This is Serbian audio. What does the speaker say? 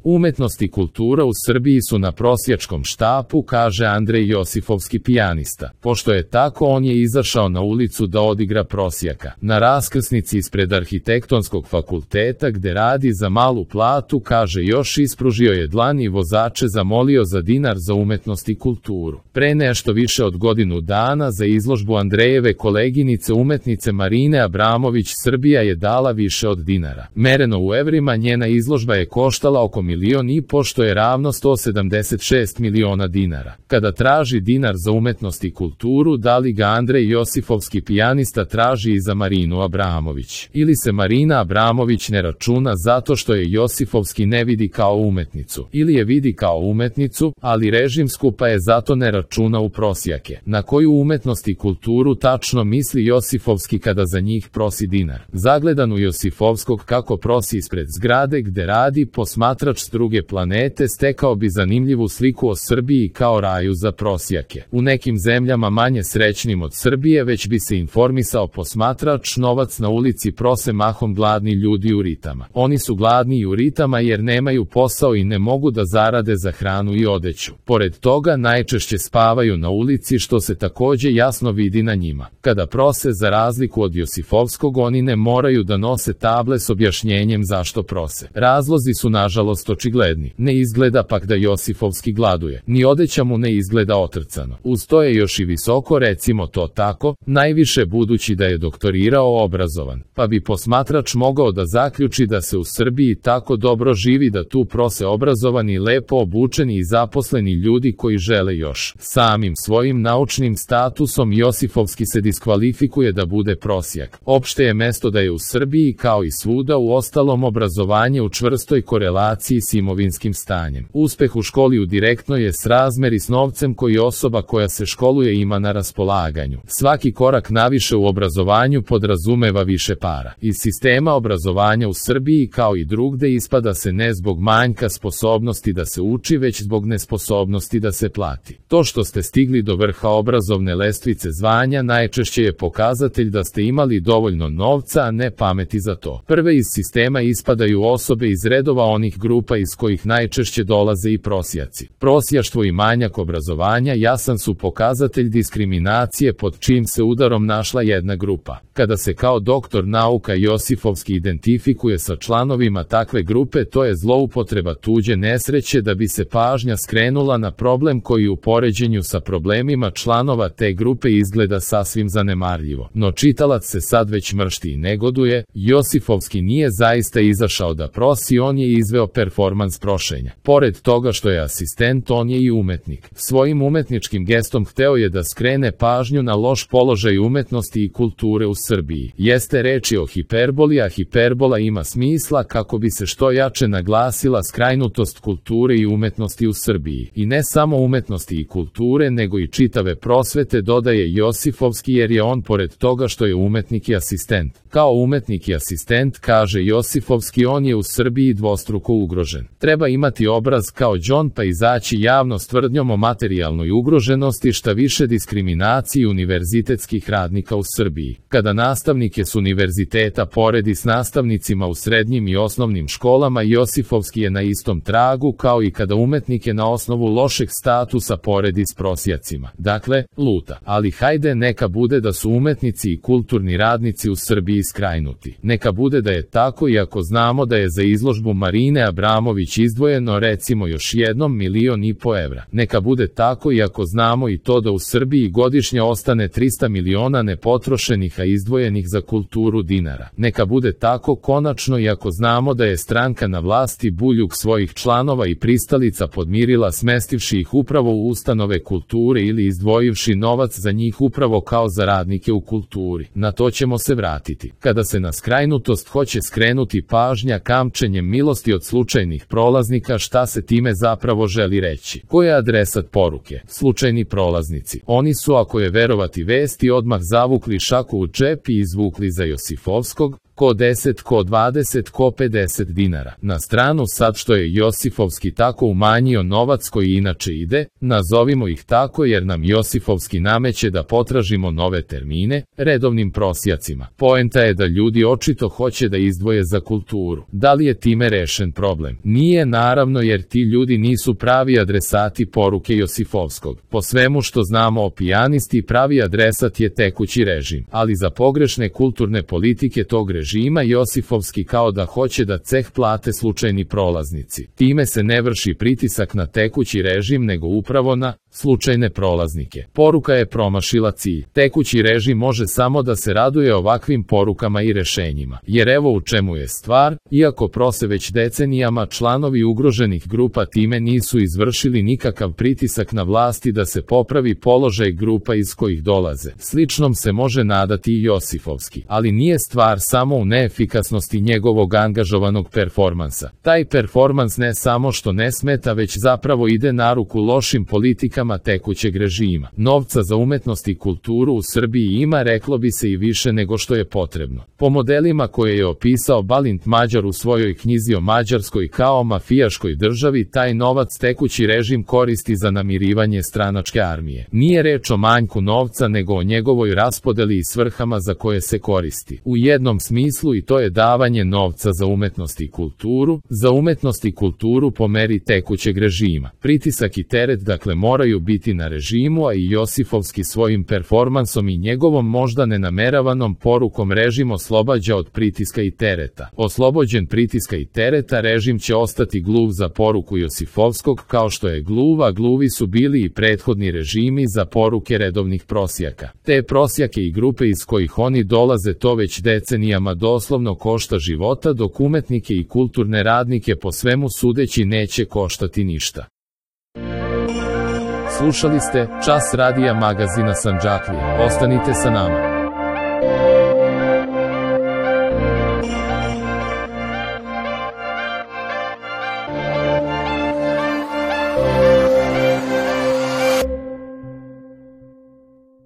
Umetnost i kultura u Srbiji su na prosjačkom štapu, kaže Andrej Josifovski pijanista. Pošto je tako, on je izašao na ulicu da odigra prosjaka. Na raskrsnici ispred Arhitektonskog fakulteta gde radi za malu platu, kaže još, ispružio je dlan i vozače zamolio za dinar za umetnost i kulturu. Pre nešto više od godinu dana za izložbu Andrejeve koleginice umetnice Marine Abramović Srbija je dala više od dinara. Mereno u evrima njena izložba je koštala oko 1,5 miliona, što je ravno 176 miliona dinara. Kada traži dinar za umetnost i kulturu, da li ga Andrej Josifovski pijanista traži i za Marinu Abramović? Ili se Marina Abramović ne računa zato što je Josifovski ne vidi kao umetnicu? Ili je vidi kao umetnicu, ali režimsku, pa je zato ne računa u prosjake? Na koju umetnost i kulturu tačno misli Josifovski kada za njih prosi dinar? Zagledan u Josifovskog kako prosi ispred zgrade gde radi, posmatrač s druge planete stekao bi zanimljivu sliku o Srbiji kao raju za prosjake. U nekim zemljama manje srećnim od Srbije već bi se informisao posmatrač, novac na ulici prose mahom gladni ljudi u ritama. Oni su gladni u ritama jer nemaju posao i ne mogu da zarade za hranu i odeću. Pored toga najčešće spavaju na ulici, što se takođe jasno vidi na njima. Kada prose, za razliku od Josifovskog, oni ne moraju da nose table s objašnjenjem zašto prose. Razlozi su nažalost očigledni. Ne izgleda pak da Josifovski gladuje. Ni odeća mu ne izgleda otrcano. Uz to je još i visoko, recimo to tako, najviše budući da je doktorirao obrazovan. Pa bi posmatrač mogao da zaključi da se u Srbiji tako dobro živi da tu prose obrazovani, lepo obučeni i zaposleni ljudi koji žele još. Samim svojim naučnim statusom Josifovski se diskvalifikuje da bude prosjak. Opšte je mesto da je u Srbiji, kao i svuda u ostalom, obrazovanje u čvrstoj korelaciji s imovinskim stanjem. Uspeh u školi u direktnoj je srazmeri s novcem koji osoba koja se školuje ima na raspolaganju. Svaki korak naviše u obrazovanju podrazumeva više para. Iz sistema obrazovanja u Srbiji, kao i drugde, ispada se ne zbog manjka sposobnosti da se uči, već zbog nesposobnosti da se plati. To što ste stigli do vrha obrazovne lestvice zvanja najčešće je pokazatelj da ste imali dovoljno novca, a ne pameti za to. Prve iz sistema ispadaju osobe iz redova onih grupa iz kojih najčešće dolaze i prosjaci. Prosjaštvo i manjak obrazovanja jasan su pokazatelj diskriminacije pod čijim se udarom našla jedna grupa. Kada se kao doktor nauka Josifovski identifikuje sa članovima takve grupe, to je zloupotreba tuđe nesreće da bi se pažnja skrenula na problem koji u poređenju sa problemima članova te grupe izgleda sasvim zanemarljivo. No čitalac se sad već mršti i negoduje. Josifovski nije zaista izašao da prosi, on je izveo performans prošenja. Pored toga što je asistent, on je i umetnik. Svojim umetničkim gestom hteo je da skrene pažnju na loš položaj umetnosti i kulture u Srbiji. Jeste reči o hiperboli, a hiperbola ima smisla kako bi se što jače naglasila skrajnutost kulture i umetnosti u Srbiji. I ne samo umetnosti i kulture, nego i čitave prosvete, dodaje Josifovski, jer je on, pored toga što je umetnik i asistent. Kao umetnik i asistent, kaže Josifovski, on je u Srbiji dvostruko ugrožen. Treba imati obraz kao đon pa izaći javno s tvrdnjom o materijalnoj ugroženosti, šta više diskriminaciji univerzitetskih radnika u Srbiji. Kada nastavnike s univerziteta poredi s nastavnicima u srednjim i osnovnim školama, Josifovski je na istom tragu, kao i kada umetnike na osnovu lošeg statusa poredi s prosjacima. Dakle, luta. Ali hajde, neka bude da su umetnici i kulturni radnici u Srbiji skrajnuti. Neka bude da je tako, iako znamo da je za izložbu Marine Abramović izdvojeno recimo još jednom 1,5 miliona evra. Neka bude tako, iako znamo i to da u Srbiji godišnje ostane 300 miliona nepotrošenih a izdvojenih za kulturu dinara. Neka bude tako konačno, iako znamo da je stranka na vlasti Buljug svojih članova i pristalica podmirila smestivši ih upravo u ustanove kulture ili izdvojivši novac za njih upravo kao za radnike u kulturi. Na to ćemo se vratiti. Kada se na skrajnutost hoće skrenuti pažnja kamčenjem milosti od slučajnih prolaznika, šta se time zapravo želi reći? Ko je adresat poruke? Slučajni prolaznici. Oni su, ako je verovati vesti, odmah zavukli šaku u džep i izvukli za Josifovskog, ko 10, ko 20, ko 50 dinara. Na stranu sad što je Josifovski tako umanjio novac koji inače ide, nazovimo ih tako jer nam Josifovski nameće da potražimo nove termine, redovnim prosjacima. Poenta je da ljudi očito hoće da izdvoje za kulturu. Da li je time rešen problem? Nije naravno jer ti ljudi nisu pravi adresati poruke Josifovskog. Po svemu što znamo o pijanisti, pravi adresat je tekući režim, ali za pogrešne kulturne politike tog režima Josifovski kao da hoće da ceh plate slučajni prolaznici. Time se ne vrši pritisak na tekući režim nego upravo na slučajne prolaznike. Poruka je promašila cilj. Tekući režim može samo da se raduje ovakvim porukama i rešenjima. Jer evo u čemu je stvar, iako prose već decenijama, članovi ugroženih grupa time nisu izvršili nikakav pritisak na vlasti da se popravi položaj grupa iz kojih dolaze. Sličnom se može nadati i Josifovski, ali nije stvar samo u neefikasnosti njegovog angažovanog performansa. Taj performans ne samo što ne smeta, već zapravo ide na ruku lošim politikama tekućeg režima. Novca za umetnost i kulturu u Srbiji ima, reklo bi se, i više nego što je potrebno. Po modelima koje je opisao Balint Mađar u svojoj knjizi o Mađarskoj kao mafijaškoj državi, taj novac tekući režim koristi za namirivanje stranačke armije. Nije reč o manjku novca nego o njegovoj raspodeli i svrhama za koje se koristi. U jednom smislu i to je davanje novca za umetnost i kulturu, po meri tekućeg režima. Pritisak i teret dakle moraju biti na režimu, a i Josifovski svojim performansom i njegovom možda nenameravanom porukom režim oslobađa od pritiska i tereta. Oslobođen pritiska i tereta, režim će ostati gluv za poruku Josifovskog kao što je gluv, a gluvi su bili i prethodni režimi za poruke redovnih prosjaka. Te prosjake i grupe iz kojih oni dolaze to već decenijama doslovno košta života, dok umetnike i kulturne radnike po svemu sudeći neće koštati ništa. Slušali ste Čas radija magazina Sandžaklije. Ostanite sa nama.